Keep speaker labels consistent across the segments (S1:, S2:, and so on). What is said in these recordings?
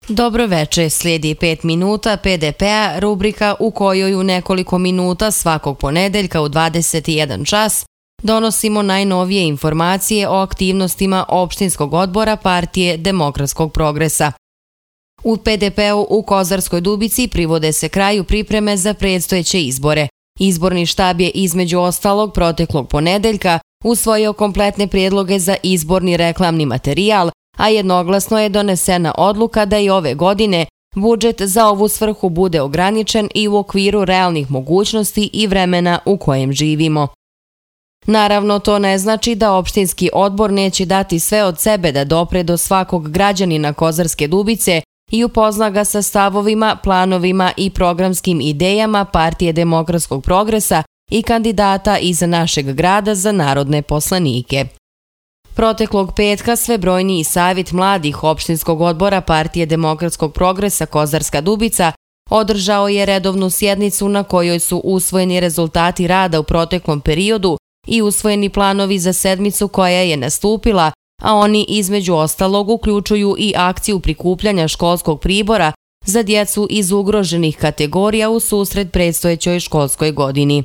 S1: Dobro veče, slijedi 5 minuta PDP-a, rubrika u kojoj u nekoliko minuta svakog ponedeljka u 21 čas donosimo najnovije informacije o aktivnostima opštinskog odbora Partije demokratskog progresa. U PDP-u u Kozarskoj Dubici privode se kraju pripreme za predstojeće izbore. Izborni štab je između ostalog proteklog ponedeljka usvojio kompletne prijedloge za izborni reklamni materijal, a jednoglasno je donesena odluka da i ove godine budžet za ovu svrhu bude ograničen i u okviru realnih mogućnosti i vremena u kojem živimo. Naravno, to ne znači da opštinski odbor neće dati sve od sebe da dopre do svakog građanina Kozarske Dubice i upozna ga sa stavovima, planovima i programskim idejama Partije demokratskog progresa i kandidata iz našeg grada za narodne poslanike. Proteklog petka svebrojniji savjet mladih opštinskog odbora Partije demokratskog progresa Kozarska Dubica održao je redovnu sjednicu na kojoj su usvojeni rezultati rada u proteklom periodu i usvojeni planovi za sedmicu koja je nastupila, a oni između ostalog uključuju i akciju prikupljanja školskog pribora za djecu iz ugroženih kategorija u susret predstojećoj školskoj godini.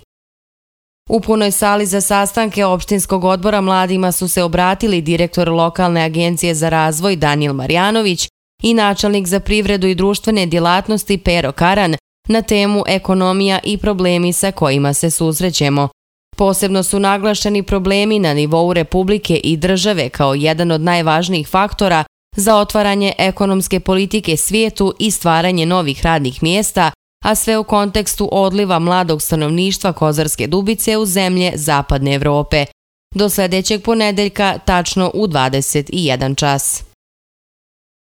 S1: U punoj sali za sastanke opštinskog odbora mladima su se obratili direktor lokalne agencije za razvoj Danijel Marjanović i načelnik za privredu i društvene djelatnosti Pero Karan na temu ekonomija i problemi sa kojima se susrećemo. Posebno su naglašeni problemi na nivou Republike i države kao jedan od najvažnijih faktora za otvaranje ekonomske politike svijetu i stvaranje novih radnih mjesta, a sve u kontekstu odliva mladog stanovništva Kozarske Dubice u zemlje Zapadne Evrope. Do sljedećeg ponedeljka, tačno u 21 čas.